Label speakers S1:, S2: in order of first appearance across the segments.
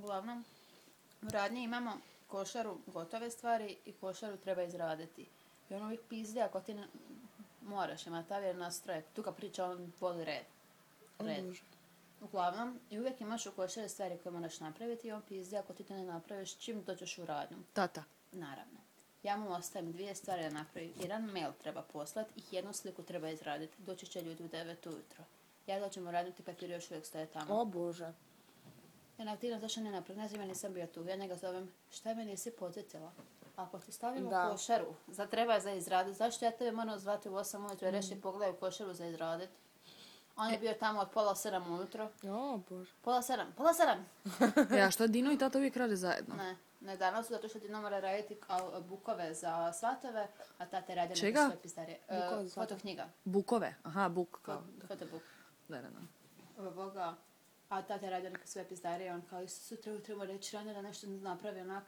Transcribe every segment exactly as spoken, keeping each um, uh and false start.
S1: Uglavnom, u radnji imamo košaru gotove stvari i košaru treba izraditi. I on uvijek pizdi ako ti ne... moraš imati avjer nastroje. Tu kad priča on voli red. Red. Uglavnom, i uvijek imaš u košari stvari koje moraš napraviti i on pizdi ako ti to ne napraviš čim dođeš u radnju.
S2: Tata.
S1: Naravno. Ja mu ostavim dvije stvari da napravi. Jedan mail treba poslati i jednu sliku treba izraditi. Doći će ljudi u devet ujutro. Ja dođem u radnju, ti papir još uvijek stoje tamo.
S2: O Bože.
S1: Ja nativno zašto ne napravim, ne znam, ja nisam bio tu. Ja njega zovem, šta me nisi podsjetila? Ako ti stavim
S2: Da.
S1: u košaru, za treba za izraditi, zašto ja tebe moram zvati u osam ujutro i reći pogledaj u košaru za izraditi? On je bio tamo od pola sedam ujutro.
S2: O Bože.
S1: Pola sedam, pola sedam!
S2: Ja, šta Dino i tata uvijek rade zajedno?
S1: Ne, ne danas su zato što Dino mora raditi a, bukove za svatove, a tate radi neke
S2: Čega?
S1: svoje pisarije. E,
S2: Bukove za svatove?
S1: fotoknjiga.
S2: Bukove? Aha, buk. Kao.
S1: Fo- Fotobuk.
S2: Da, da, da.
S1: Boga. A tate radi neke svoje pizdarije, on kao isto sutra treba reći ranije da nešto napravi onak.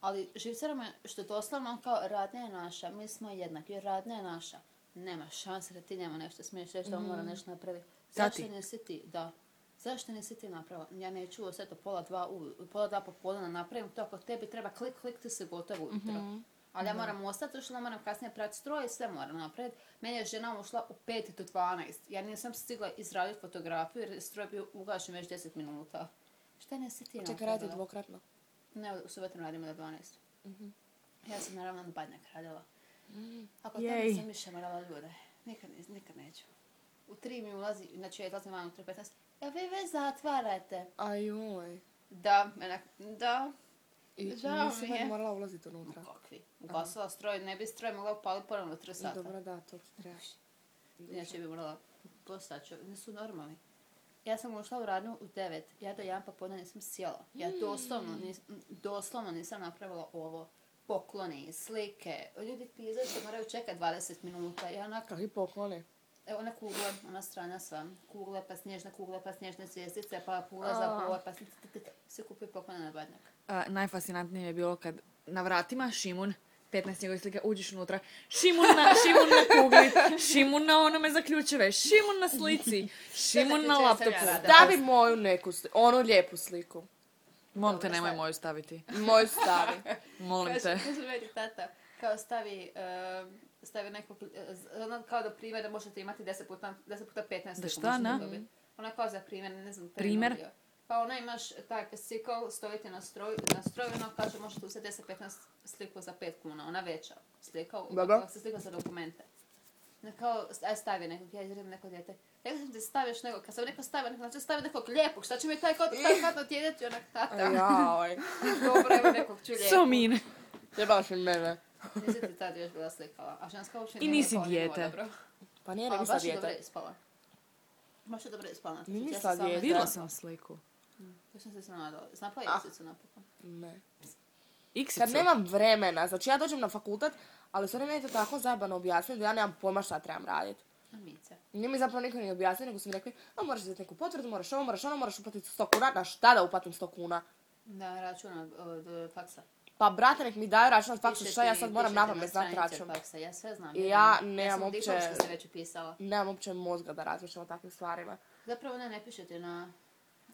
S1: Ali živcera me, što je doslovno on kao radnja je naša, mi smo jednaki, jer radnja je naša. Nema šanse da ti njemu nešto smiješ reći da on mora nešto napraviti. Zašto
S2: Tati.
S1: nisi ti? Da. Zašto nisi ti napravila? Ja neću sve to pola dva, u, pola dva popodne napravim to ako tebi treba klik, klik, ti se gotovo ujutro. Ali ja moram ostati, što moram kasnije prati stroj i sve moram napraviti. Meni je žena ušla u pet do dvanaest. Ja nisam stigla izraditi fotografiju jer je stroj bio ugašen već deset minuta. Šta nisi ti napravila?
S2: Čekaj, radi dvokratno.
S1: Ne, u subotom radimo do dvanaest. Ja sam naravno na badnjak radila. Ako
S2: Jej.
S1: tamo sam više morala ljude, nikad, ne- nikad neću. U tri mi ulazi, znači ja izlazim van u tri petnaest. Ja vi već zatvarate.
S2: Ajoj.
S1: Da, menak, da.
S2: I
S1: Žao
S2: nisi
S1: mi
S2: sad
S1: je.
S2: morala ulaziti unutra.
S1: Kakvi? Ugasila stroj, ne bi stroj mogla upaliti ponovno u tri sata.
S2: Dobro, da, to ti trebaš.
S1: Inače bi morala postaći, nisu normalni. Ja sam ušla u radnju u devet, ja do jedan popodne nisam sjela. Ja doslovno, nis, doslovno nisam napravila ovo. Pokloni, slike, ljudi pizaju što moraju čekati dvadeset minuta. Ja onak,
S2: Kakvi pokloni?
S1: evo one kugle, ona strana sva. Kugle, pa snježne kugle, pa snježne zvijezdice, pa kugle za pole, pa svi se kupuju poklone na badnjak.
S2: A, najfascinantnije je bilo kad na vratima Šimun, petnaest njegovih slika, uđeš unutra, Šimun na, Šimun na kugli, Šimun na onome za ključeve, Šimun na slici, Šimun na
S1: ključeve
S2: laptopu.
S1: sam ja rada.
S2: Stavi moju neku sliku, onu lijepu sliku. Molim te,
S1: Dobro,
S2: nemoj
S1: stavi.
S2: moju staviti. Moju stavi. Molim te.
S1: Kaže, kaže meni tata, kao stavi, uh, stavi nekog, uh, ono kao da primjer da možete imati deset puta, deset puta petnaest.
S2: Da
S1: sliku
S2: šta,
S1: možete
S2: na?
S1: dobiti. Ona kao za primjer, ne znam.
S2: Primjer?
S1: prenudio. Pa ona imaš taj cikl, stojite na stroj, na stroj, ono kaže možete uzeti deset petnaest sliku za pet kuna, ona veća slika,
S2: Dobro.
S1: kako se slika za dokumente. Ne kao, aj stavi nekog, ja izradim neko dijete. Rekla sam ti staviš nekog, kad sam neko stavio nekog, znači stavi nekog lijepog, šta će mi taj kot, taj kot otjedeti, onak tata.
S2: Jaoj.
S1: Dobro, evo nekog ću lijepog.
S2: So mean. Jebaš od mene.
S1: Nisi ti tad još bila slikala, a ženska uopće
S2: I
S1: nije
S2: nisi
S1: spala,
S2: dijete.
S1: nije dobro.
S2: Pa nije
S1: A
S2: ne
S1: baš
S2: misla
S1: je dobro
S2: dijete.
S1: ispala. Baš je dobro ispala.
S2: Nije
S1: Ja
S2: mislila
S1: sam sama
S2: dijete.
S1: izgledala.
S2: Vidjela sam sliku.
S1: Ja sam se sve nadala. Znapla je
S2: Ah.
S1: jesicu napokon.
S2: Ne.
S1: Iksicu.
S2: Kad nemam vremena, znači ja dođem na fakultet, ali sve meni je to tako zajebano objasniti da ja nemam pojma šta trebam raditi.
S1: Amice.
S2: Nije mi zapravo niko ni objasnio, nego su mi rekli, a moraš uzeti neku potvrdu, moraš ovo, moraš ono, moraš uplatiti sto kuna. Na šta da uplatim sto kuna?
S1: Da, račun od, od faksa.
S2: Pa brate, nek mi daju račun od faksa,
S1: Piše
S2: šta ja
S1: ti-
S2: sad moram
S1: piše ti
S2: napamet
S1: na
S2: znati
S1: stranici
S2: račun.
S1: od faksa. Ja sve znam.
S2: I
S1: ja
S2: ja
S1: znam.
S2: nemam
S1: ja sam
S2: uopće-
S1: diplomska se već upisala.
S2: Nemam uopće mozga da razmišljam o takvim stvarima.
S1: Zapravo ne, ne piše ti na...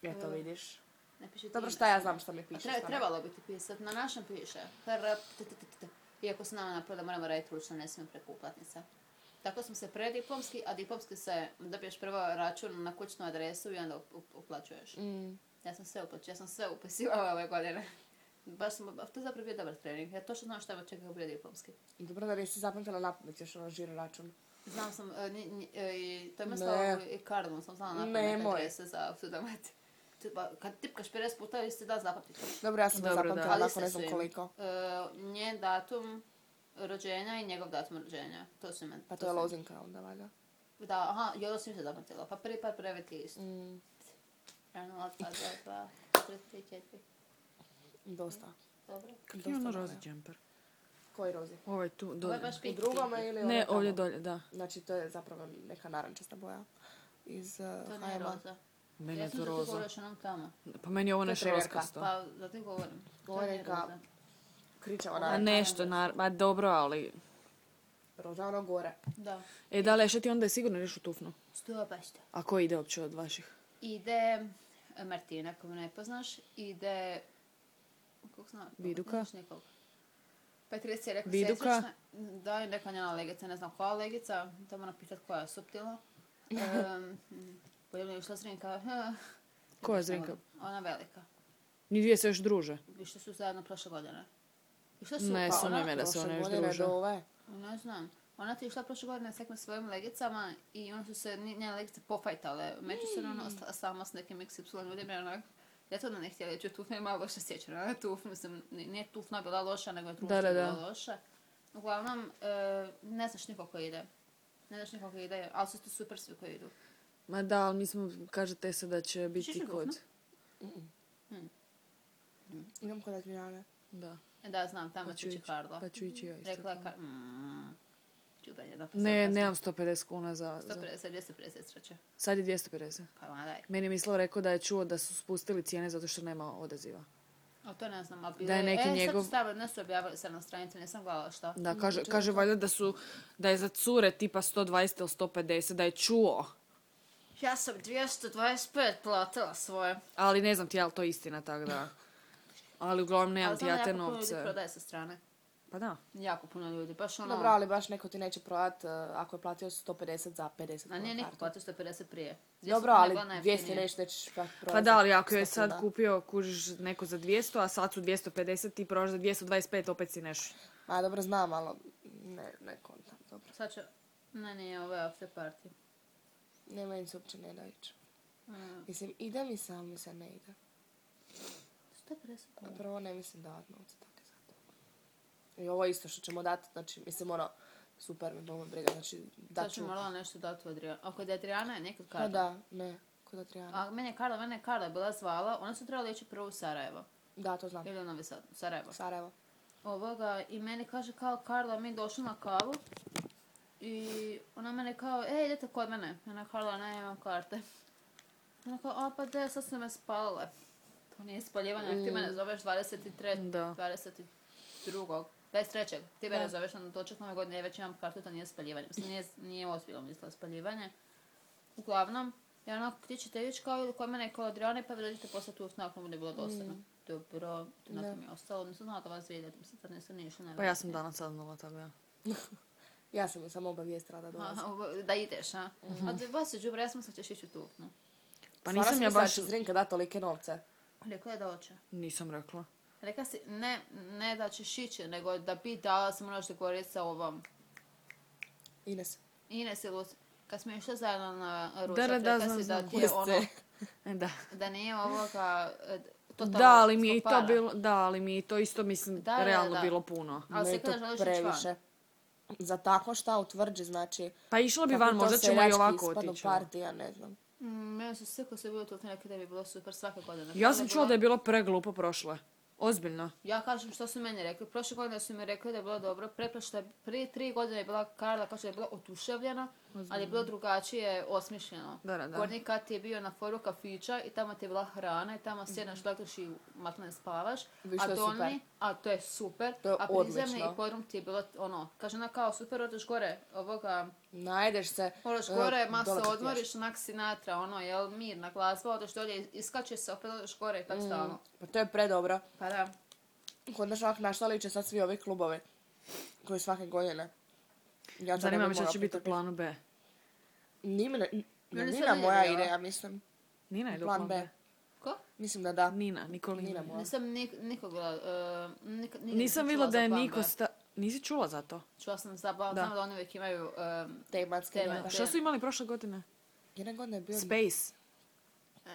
S2: Ja to
S1: E,
S2: vidiš.
S1: Ne piše ti
S2: Dobro,
S1: ime
S2: šta ja
S1: samo.
S2: znam šta mi
S1: A
S2: piše.
S1: Treba,
S2: stvarno.
S1: trebalo bi ti pisati. Na našem piše. Hr- t- t- t- t- Iako se nama napravila da moramo raditi ručno, ne smijem preko uplatnica. Tako smo se prediplomski, a diplomski se dobiješ prvo račun na kućnu adresu i onda up- uplaćuješ.
S2: Mm.
S1: Ja sam sve uplaćala, ja sam sve upisivala ove godine. Baš sam, to je zapravo bio dobar trening. Ja točno znam šta me čeka bio diplomski.
S2: Dobro da nisi zapamtila napamet još ono žiro račun.
S1: Znam sam, e, ni- ni- e, i to je
S2: Ne.
S1: mislila i Cardinal, sam znala napamet
S2: Nemoj.
S1: adrese za Sudamet. Kad tipkaš pedeset puta, vi ste da zapamtiti.
S2: Dobro, ja sam
S1: Dobro,
S2: to
S1: da.
S2: zapamtila,
S1: Ali
S2: nakon
S1: se
S2: ne znam
S1: su im.
S2: koliko.
S1: E, njen datum rođenja i njegov datum rođenja. To su meni.
S2: Pa to je lozinka onda, valjda.
S1: Da, aha, i ovo sam se zapamtila. Pa prvi par prvi ti isto.
S2: Mm,
S1: Jedan, dva, dva, dva, tri, tri, četiri.
S2: dosta.
S1: Dobro.
S2: Dosta
S3: Ima ono
S2: dobro.
S3: rozi džemper.
S2: Koji rozi?
S3: Ovaj tu,
S1: Ovo je
S3: dolje.
S1: baš
S2: U
S1: pink,
S2: drugome
S1: pink.
S2: ili
S3: Ne,
S2: ono tamo?
S3: ovdje dolje, da.
S2: Znači, to je zapravo neka narančasta boja iz uh,
S1: To
S2: H
S1: nije
S2: M A.
S1: roza.
S3: Meni
S1: Ja
S3: je
S1: sam
S3: to
S1: da ti
S3: roza.
S1: govoriš onom tamo.
S3: Pa meni je ovo
S2: To je
S3: nešto
S2: trenerka.
S3: roskasto.
S1: Pa, da ti govorim. To
S2: Ovo je
S1: nije
S2: neka
S1: roza.
S2: kričava
S3: A
S2: naranča.
S3: nešto, nar... Ma dobro, ali...
S2: Roža ono gore.
S1: Da.
S3: E, da li, šta ti onda je sigurno nešto tufno?
S1: Sto baš to.
S3: A ko ide uopće od vaših?
S1: Ide... Uh, Martina, koju ne poznaš, ide... Kako zna?
S2: Viduka?
S1: Znaš nekog? Petrica je rekao
S2: Viduka?
S1: sestrična. Da, je neka njena legica, ne znam koja legica, da moram pitat koja je suptilna. Um, Pojavljaju išla Zrinka.
S2: Koja je Zrinka?
S1: Ona velika.
S2: Ni dvije se još druže.
S1: Išli su zajedno prošle godine. Išle su,
S2: Ne,
S1: pa
S2: sumnjam
S1: ona-
S2: je da se
S4: Prošle
S2: one još
S4: godine
S2: druže.
S4: do ove.
S1: Ne znam. Ona ti je išla prošle godine s nekim svojim legicama i onda su se ni- njene legice pofajtale. Međusobno ona ostala sama s nekim iks ipsilon ljudima. Onak, ja to ne htjela reći, Tufna je malo loše sjećana. Ona Tuf, mislim, ni- nije Tufna bila loša, nego je društvo
S2: Da, da, da.
S1: bilo loše. Uglavnom, e, ne znaš niko ko ide. Ne znaš niko ko ide, ali su to super svi koji idu.
S2: Ma da, ali mi smo, kažete se da će biti
S1: Šiši
S2: kod...
S4: Idem kod Adriane.
S2: Da.
S1: E, Da, znam, tamo
S2: Pa ću
S1: će ići
S2: ići.
S1: Karla.
S2: Pa ću ići ja isto.
S1: Rekla je
S2: tako.
S1: Kar... Mm, čudanje, da, pa
S2: Ne,
S1: sad
S2: nemam sto pedeset kuna za...
S1: sto
S2: za...
S1: pedeset, dvjesto pedeset sreće.
S2: Sad je dvjesto pedeset.
S1: Pa ma daj.
S2: Meni je mislio rekao da je čuo da su spustili cijene zato što nema odaziva.
S1: A to ne znam, ali bilo
S2: Da je neki
S1: e,
S2: njegov-
S1: sad su stavili, ne su objavili sad na stranici, nisam gledala šta.
S2: Da, kaže, kaže valjda da su, da je za cure tipa sto dvadeset ili sto pedeset, da je čuo.
S1: Ja sam dvjesto dvadeset pet platila svoje.
S2: Ali ne znam ti je li to istina, tako da... Ali uglavnom nemam
S1: Ali
S2: ti
S1: znam da
S2: ja te
S1: jako puno ljudi
S2: novce.
S1: prodaje sa strane.
S2: Pa da.
S1: Jako puno ljudi, baš ono...
S4: Dobro, ali baš neko ti neće prodat uh, ako je platio sto pedeset za pedeset
S1: A nije
S4: kuna
S1: niko
S4: kartu.
S1: platio sto pedeset prije.
S4: Dobro, ali dvjesto neće nećeš prodat
S2: Pa da, ali ako je
S4: sto
S2: sad
S4: kuna.
S2: kupio, kužiš neko za dvjesto, a sad su dvjesto pedeset, ti prodaš za dvjesto dvadeset pet, opet si neš.
S4: A dobro, znam, ali ne, ne kontam, dobro.
S1: Sad ću... Ne, nije, ovo je after party.
S4: Ne, meni se uopće ne da ići.
S1: Mm.
S4: Mislim, ide mi sam, mi se ne ide.
S1: sto pedeset
S4: A
S1: kuna.
S4: prvo ne mislim davat novce tako za to. I ovo isto što ćemo dati, znači, mislim, ono, super me bolo briga, znači, da
S1: Sad
S4: ću...
S1: ću morala nešto dati u Adriana. Ako je Adriana je nekad
S4: Pa
S1: Karla.
S4: da, ne, kod Adriana.
S1: A meni je Karla, mene je Karla bila zvala, ona su trebali ići prvo u Sarajevo.
S4: Da, to znam.
S1: Ili u Novi Sad, Sarajevo.
S4: Sarajevo.
S1: Ovoga, i meni kaže kao Karla, mi došli na kavu. I ona mene kao, ej, idete kod mene. Ona Karla, ne, imam karte. Ona kao, a pa de, sad su me spalile. To nije spaljivanje, ako ti mene zoveš dvadeset trećeg
S2: Da.
S1: dvadeset drugog dvadeset trećeg Ti mene
S4: Da.
S1: zoveš na točak nove godine, ja već imam kartu, to nije spaljivanje. Mislim, nije, nije ozbiljno mislila spaljivanje. Uglavnom, ja onako, ti ćete ići kao ili kod mene i kod Adriane, pa vi dođete posle tu nakon bude bilo dosadno. Dobro, to nakon mi je ostalo, nisam znala da vas vidjeti, mislim, sad nisam ni išla.
S2: Pa ja sam danas saznala, tako ja.
S4: Ja sam je samo obavijestila da dolazim.
S1: Aha, ovo- da ideš, a? A da vas je džubre, ja sam mislila ćeš ići u Tufnu.
S2: Pa
S4: Stvarno
S2: nisam
S4: si
S2: ja
S4: mislila da
S2: baš...
S4: će Zrinka dati tolike novce.
S1: Rekla je da hoće.
S2: Nisam rekla.
S1: Rekla si, ne, ne da ćeš ići, nego da bi dala se moraš dogovoriti sa ovom
S4: Ines.
S1: Ines i Lucy. Kad smo išli zajedno na ručak,
S2: Da, da, da,
S1: rekla
S2: znam,
S1: si da
S2: znam.
S1: ti je ono,
S2: E, Da.
S1: da nije ovoga, e, totalno
S2: Da, ali mi je i
S1: zbog
S2: to
S1: para.
S2: bilo, da, ali mi je i to isto, mislim,
S1: Da, da,
S2: realno
S1: da.
S2: bilo puno.
S1: Ali
S4: Ne,
S1: si
S4: to
S1: kada želiš ići van.
S4: previše. Za tako šta utvrđi, znači...
S2: Pa išla bi
S4: kako
S2: van,
S4: to
S2: možda ćemo i
S4: seljački
S2: ovako
S4: ispadnu
S2: otići.
S4: partija, ne znam.
S1: Mm, meni su svi koji su bili tu rekli da bi bilo super svake godine.
S2: Ja
S1: Kada
S2: sam
S1: je
S2: čula
S1: bilo-
S2: da je bilo preglupo prošle. Ozbiljno.
S1: Ja kažem što su meni rekli. Prošle godine su mi rekli da je bilo dobro. Preprošle, prije tri godine je bila Karla, kaže da je bila otuševljena, ali je bilo drugačije osmišljeno.
S2: Da, da, da.
S1: Gornji kat je bio na foru kafića i tamo ti je bila hrana i tamo sjednaš, gledaš i matne spavaš.
S4: Viš,
S1: a
S4: to je
S1: dolni,
S4: super.
S1: a to je super.
S4: To je
S1: a prizemni
S4: odlično.
S1: i podrum ti je bilo ono, kaže ona kao super, odeš gore, ovoga,
S4: Najedeš se...
S1: odeš
S4: e,
S1: gore, ma se
S4: dole popiješ.
S1: odmoriš, onak Sinatra, ono, jel, mirna glazba, odeš dolje, iskačeš se, opet odeš gore i tako stalno.
S4: Pa to je predobro.
S1: Pa da.
S4: Kod nas ovak našla liče sad svi ovi klubovi. Koji svake godine. Ja to
S2: Zanima
S4: ne
S2: me
S4: bi
S2: što
S4: mogla
S2: će biti u
S4: pretrpiti.
S2: planu B.
S4: Nina,
S1: Meni se
S4: Nina
S1: ne
S4: moja
S1: ide,
S4: ide,
S1: ja.
S4: ja mislim.
S2: Nina ide u
S4: Plan
S2: plan
S4: B.
S2: B.
S1: Ko?
S4: Mislim da da.
S2: Nina, Nikolina.
S4: Nina moja.
S1: Nisam nik, nikoga, uh, nik, nik,
S2: Nisam vidjela da je niko sta... Nisi čula za to?
S1: Čula sam za plan,
S2: Da.
S1: znam da oni uvijek imaju... Um,
S4: Tematske.
S1: Tema-
S4: da.
S2: A što su imali prošle godine?
S4: Jedne godine je bio...
S2: Space.
S1: e,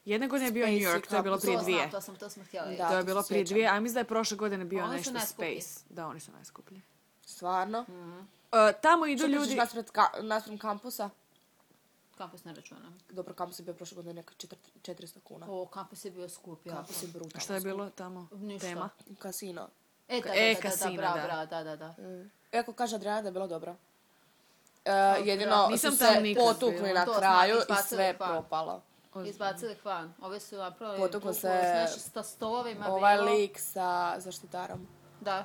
S2: Jedne godine je bio
S4: Space
S2: New York, to je bilo
S4: Cup,
S2: prije
S1: to
S2: dvije.
S1: znam, to smo, to smo htjeli.
S4: Da.
S2: To je
S4: to
S2: bilo
S4: se
S2: prije
S4: sjećam.
S2: dvije, a mislim da je prošle godine bio
S1: Oni su
S2: nešto
S1: najskuplji.
S2: Space. Da, oni su najskuplji.
S4: Stvarno?
S2: E, tamo idu
S4: Što
S2: ljudi...
S4: ljudi... naspred, ka, naspred kampusa?
S1: Kampus ne računam.
S4: Dobro, kampus je bio prošle godine neka četiri- četiristo kuna.
S1: O, kampus je bio skup, jako.
S4: Kampus je brutalno.
S2: Šta je bilo tamo?
S1: Ništa.
S2: Tema?
S4: skup. Kasino.
S1: E, da, da,
S2: E,
S1: da, da,
S2: kasino,
S1: bravo,
S2: da.
S1: bravo, da, da, da.
S4: Mm. Iako kaže Adriana da je bilo dobro. E, jedino
S1: bravo.
S2: Nisam
S4: su
S2: tamo
S4: se
S2: nikad
S4: potukli
S2: bila.
S4: na
S1: To smo
S4: kraju i
S1: izbacili
S4: sve
S1: van.
S4: propalo.
S1: Izbacili van. Ove su napravili...
S4: Potuklo
S1: bukvalno
S4: se
S1: s nešto stolovima
S4: Ovaj
S1: bilo.
S4: lik sa zaštitarom.
S1: Da.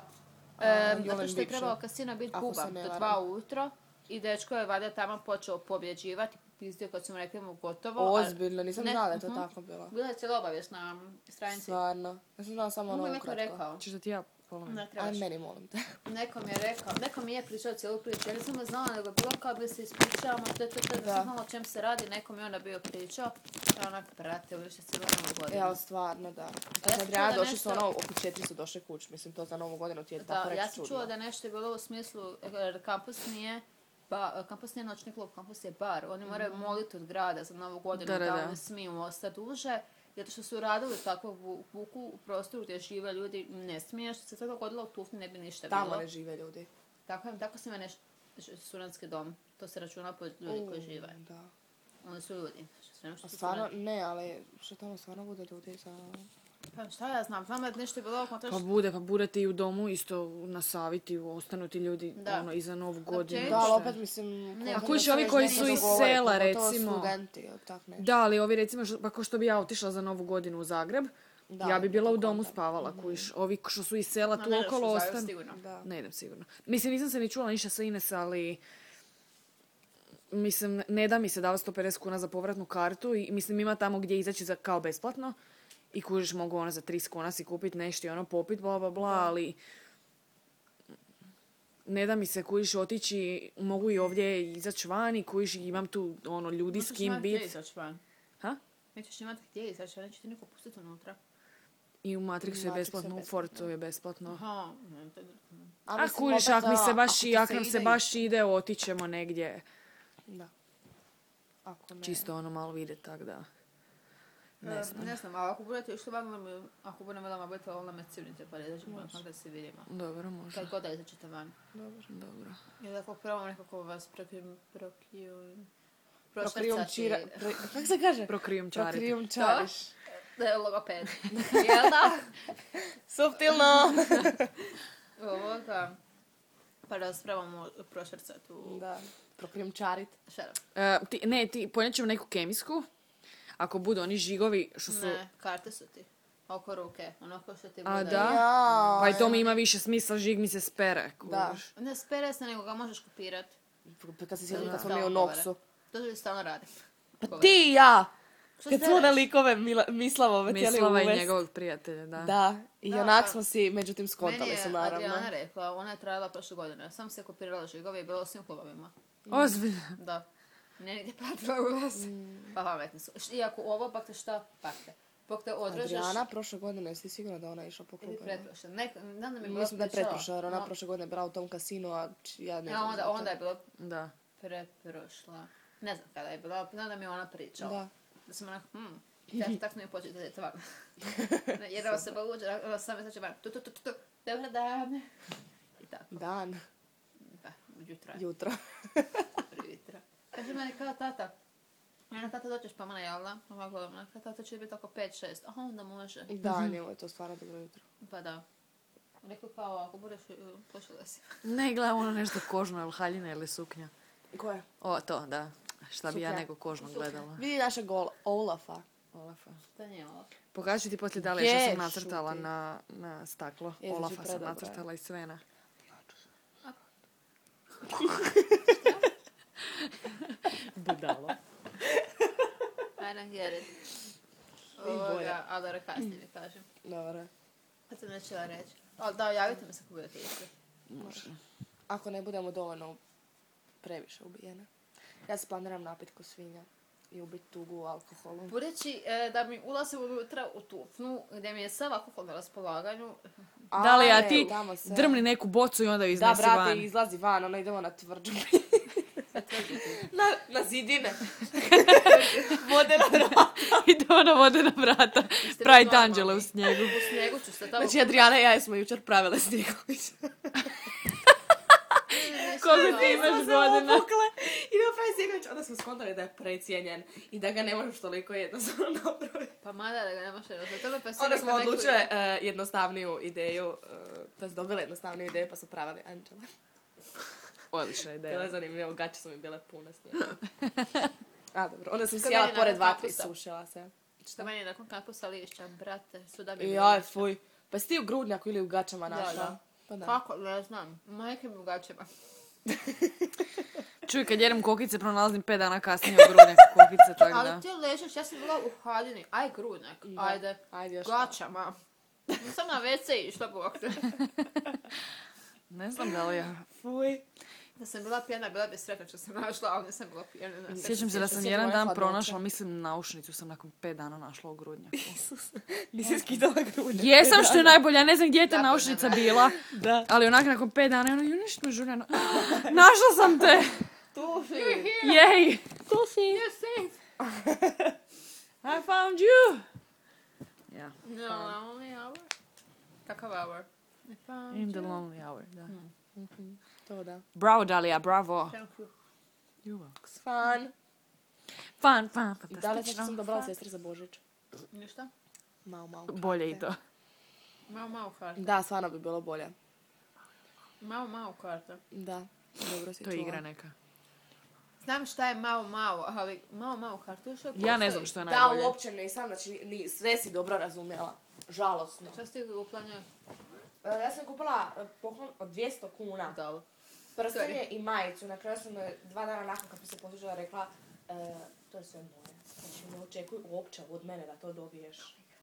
S4: A,
S1: E,
S4: Jovan
S1: zato što je
S4: Bikša.
S1: trebao kasino biti
S4: Ako
S1: buba
S4: se ne
S1: do
S4: varam.
S1: dva ujutro i dečko je valjda tamo počeo pobjeđivati, pizdio kad su mu rekli mu gotovo. a-
S4: Ozbiljno, nisam
S1: Ne,
S4: znala da je to
S1: mhm.
S4: tako bilo.
S1: Bila je cijela obavijest na stranici.
S4: Stvarno. Ja sam znala samo
S1: Mogu
S4: ono
S1: mi neko
S4: ukratko.
S1: rekao.
S2: Čiš da ti ja polovim?
S1: Ne
S4: Aj,
S1: trebaš.
S4: meni molim te.
S1: Neko mi je rekao, neko mi je pričao cijelu priču. Ja nisam ga znala, nego je bilo kao da se ispričavamo, te, te, te, da
S4: Da.
S1: sam znala o čem se radi. Neko mi je onda bio pričao. Ja onak, brate, ovo više cijelu novu godinu.
S4: E, ali stvarno, da.
S1: ja
S4: Kad
S1: sam
S4: Adriana
S1: čula da
S4: došli su
S1: nešto-
S4: ono, oko četiri su došli kuć. Mislim, to za novu godinu ti je
S1: Da,
S4: tako reći
S1: ja sam
S4: čudno.
S1: čula da nešto je bilo u smislu, jer kampus nije, ba, kampus nije noćni klub, kampus je bar. Oni moraju moliti od grada za novu godinu
S2: Da,
S1: da,
S2: da, da.
S1: oni smiju ostati duže. Zato što su radili tako u vuku u prostoru gdje žive ljudi, ne smije, što se to dogodilo u Tufni ne bi ništa
S4: Tamo
S1: bilo.
S4: ne žive ljudi.
S1: Tako, tako se ima nešto, studentski dom, to se računa po ljudi koji žive.
S4: Da.
S1: Oni su ljudi. Sve što
S4: A
S1: su
S4: stvarno,
S1: studenti.
S4: ne, ali što tamo stvarno bude ljudi za...
S1: Pa šta ja znam, znam da je nešto bilo oko
S2: Pa bude, pa budete i u domu isto na savjeti, ostanu ti ljudi
S1: Da.
S2: ono, i za novu godinu.
S1: općenito-
S4: Da, ali
S2: šta.
S4: opet mislim...
S1: Ne,
S4: koliko
S2: kužiš,
S4: se
S2: ovi
S4: već
S2: koji
S4: nešto
S2: su iz
S4: dogovore,
S2: sela,
S4: pogotovo
S2: recimo.
S4: studenti, ili tak nešto.
S2: Da, ali ovi recimo, što- pa ko što bi ja otišla za novu godinu u Zagreb,
S4: Da,
S2: ja bi bila u domu
S4: kontam.
S2: spavala, kužiš. Ovi što su iz sela
S1: Ma
S2: tu
S1: ne ideš u
S2: okolo
S1: Zagreb
S2: ostanu.
S1: sigurno.
S4: Da.
S2: Ne idem sigurno. Mislim, nisam se ni čula ništa sa Ines, ali... Mislim, ne da mi se dava sto pedeset kuna za povratnu kartu i mislim ima tamo gdje izaći za kao besplatno i kužiš mogu ono za tristo kuna si kupiti nešto i ono popit bla bla bla, ali ne da mi se kužiš otići, mogu i ovdje izaći van i kužiš imam tu ono ljudi s
S1: Nećeš
S2: kim
S1: imati gdje
S2: bit.
S1: izaći van.
S2: Ha?
S1: Nećeš imati gdje izaći, neće ti niko pustiti unutra.
S2: I u Matrixu je
S4: Matrixu je
S2: besplatno, u
S4: besplatno.
S2: Fortu je besplatno.
S1: Aha, ne, to je-
S2: A
S4: mislim,
S2: kužiš,
S4: opet,
S2: ako mi se
S4: a,
S2: baš,
S4: ako
S2: i
S4: ti
S2: ako nam se
S4: ide
S2: baš ide, otićemo negdje.
S4: Da. Ako ne...
S2: Čisto ono malo vidjeti, tak da. Ne
S1: E,
S2: znam.
S1: Ne znam, ali ako budete išli van, moram- ako budem velama budete ovo me civnite, pa da ćemo onak da se vidimo.
S2: Dobro, može.
S1: Kad god da izađete van.
S2: Dobro.
S1: I tako prvo nekako vas prokrijum, prokrijum,
S4: Prokrijumčira...
S1: prošvrcati.
S4: Pro... Kako se kaže?
S2: Prokrijum čariti.
S4: Prokrijumčariš.
S1: Da je logoped. Jel da?
S4: Suptilno!
S1: Ovoga. Pa da vas probamo prošvrcati u...
S4: Da. Prokrijumčarit.
S1: Shut up.
S2: E, ti, ne, ti ponijet ćemo neku kemijsku. Ako budu oni žigovi što su...
S1: Ne, karte su ti. Oko ruke. Onako što ti
S2: A,
S1: bude.
S2: da?
S4: Ja.
S2: Pa i to mi ima više smisla, žig mi se spere.
S4: Da.
S2: kužiš.
S1: Ne spere se, nego ga možeš kopirati.
S4: Kad se sjećam kad smo
S1: Stalno
S4: mi u
S1: govore.
S4: Noksu.
S1: To ljudi stalno rade.
S4: Pa ti i ja!
S1: Što
S4: Kad
S1: se
S4: smo na
S1: deraš?
S4: likove Mila, Mislavove htjeli
S2: Mislava i
S4: uvest.
S2: njegovog prijatelja, da.
S4: Da, i
S1: Da,
S4: onak
S1: pa-
S4: smo si, međutim
S1: Meni
S4: skontali
S1: je
S4: su naravno.
S1: Adriana rekla, ona je trajala prošle godine. Ja sam se kopirala žigove i bila u svim klubovima.
S2: Ozbiljno.
S1: Da. Ne nigdje platila ulaz. Pa pametni su. Š- Iako ovo pak te šta? Pak te. Pak te odrežeš...
S4: Adriana prošle godine, jesi sigurna da ona išla po
S1: Ili
S4: klubovima?
S1: pretprošle. Nek, znam da mi je bila
S4: Mislim da je
S1: pričala.
S4: pretprošla, jer ona
S1: No,
S4: prošle godine bila u tom kasinu, a č- ja ne
S1: ja,
S4: znam.
S1: onda,
S4: za to.
S1: onda je bila
S2: Da.
S1: pretprošla. Ne znam kada je bila, znam da mi je ona pričala.
S4: Da.
S1: Da sam onak, hm, ja tak smo mi početi da je to van. Jer ovo se baluđa, ovo sam mi van. Tu, tu, tu, tu, tu, dobar dan. I tako,
S4: Dan,
S1: pa, jutro je,
S4: jutro.
S1: jutro. Kaže meni kao tata, ja tata doćeš pa mana jel da? Ovako gledam, ona, kao tata će biti oko pet šest. Aha, onda može.
S4: Da, njemu je to stvarno dobro jutro.
S1: Pa da. Rekao kao, ako budeš, pošla si.
S2: Ne, gledam ono nešto kožno, ili haljina ili suknja.
S4: Ko je?
S2: O, to, da. Šta bi ja
S4: Suknja.
S2: nego kožno
S1: Suknja.
S2: gledala.
S4: Vidi našeg gol, Olafa.
S2: Olafa.
S1: To nije ovo.
S2: Pokaži ti poslije da li je što sam
S4: Gdje
S2: nacrtala
S4: šuti?
S2: na, na staklo.
S4: Je, znači
S2: Olafa sam
S4: predobro je.
S2: nacrtala i Svena. Budalo.
S1: I don't get it.
S4: I
S1: Ovoga,
S4: bolja.
S1: ali dobro, kasnije mi kažem.
S4: Dobro.
S1: Kad sam nećela reći. Ali da, javite mi se ako budete išli.
S2: Može.
S4: Ako ne budemo dovoljno previše ubijene. Ja se planiram napit ko svinja i ubiti tugu u alkoholu.
S1: Budući e, da mi ulazim unutra u tufnu, gdje mi je sav alkohol na raspolaganju,
S2: Da li, a
S4: Ale,
S2: ti
S4: tamo se-
S2: drmni neku bocu i onda ju
S4: Da,
S2: iznesi
S4: brate,
S2: van.
S4: izlazi van, ono idemo na tvrđu. na, na zidine. Vode na vrata.
S2: Ide ona vode na vrata.
S1: Ste
S2: Pravi
S1: vi normalni?
S2: tanđele u snijegu.
S1: u snijegu ću se tamo...
S4: Znači, Adriana i ja smo jučer pravile snjegović.
S2: Koliko ti imaš godina?
S4: Idemo pravi snjegović, onda smo skontali da je precijenjen i da ga ne možeš toliko jednostavno napraviti.
S1: Pa mada da ga ne može različiti. To me pa
S4: Onda smo odlučile uh, jednostavniju ideju, uh, to su dobile jednostavniju ideju pa su pravili Anđele.
S2: Odlična
S4: Bilo
S2: ideja.
S4: je zanimljivo, gaće su mi bile pune snijega. A dobro, onda sam
S1: Što
S4: sjela
S1: meni
S4: pored
S1: nakon
S4: vatre i
S1: kampusa.
S4: sušila se.
S1: Što meni je nakon kampusa lišća, brate, svuda bi
S4: I
S1: bilo
S4: aj,
S1: lišća.
S4: fuj. Pa si ti u grudnjaku ili u gaćama
S1: Da,
S4: našla?
S1: da.
S4: Pa da.
S1: Kako? Ne znam. Majke mi u gaćima.
S2: Čuj, kad jedem kokice, pronalazim pet dana kasnije u grudnjak kokice, tako da.
S1: Ali ti ležiš, ja sam bila u haljini. Aj, grudnjak,
S4: Da.
S1: ajde.
S4: Ajde još.
S1: Gačama. Nisam na ve ce išla, bog te.
S2: Ne znam da li ja.
S4: Fuj.
S1: Da sam bila pijena, bila bi sretna što sam našla, ali nisam bila pijena.
S2: Sjećam se da sam
S4: sjećam
S2: jedan
S4: moje
S2: dan
S4: hladnoće.
S2: pronašla, mislim, naušnicu sam nakon pet dana našla u grudnjaku.
S4: Nisi skidala grudnjak.
S2: Jesam što je najbolje, ja ne znam gdje je ta
S1: Da,
S2: naušnica
S1: da.
S2: bila,
S4: Da.
S2: ali onak nakon pet dana, ono, ju nešto me žureno. Našla sam te!
S4: Tu si.
S2: Jej!
S4: Tu si.
S1: You're safe.
S2: I found you! Ja,
S1: No, only hour. Kakav hour? I found
S2: in the
S1: you.
S2: lonely hour, da.
S4: To da.
S2: Bravo, Dalija, bravo.
S1: Thank you.
S4: Fan.
S2: Fun, fun,
S4: I da li sam
S2: fantastično.
S4: dobrala sestri za Božić?
S1: Ništa?
S4: Mau, mau.
S2: Bolje i to.
S1: Malo, malo karta.
S4: Da, stvarno bi bilo bolje.
S1: Malo, malo karta.
S4: Da. Dobro si
S2: To je
S4: čula.
S2: igra neka.
S1: Znam šta je malo, malo, ali malo, malo karta još uvijek
S2: Ja ne
S1: postoji.
S2: znam što je
S4: Da,
S2: najbolje.
S4: uopće nisam, znači ni, sve si dobro razumjela. Žalosno.
S1: Šta ste uplanja?
S4: E, Ja sam kupila e, poklon od dvjesto kuna.
S1: Dobro.
S4: Prstenje i majicu. Na kraju sam e, dva dana nakon kad mi se poslužila rekla e, to je sve moje. Znači ne očekuj uopće od mene da to dobiješ.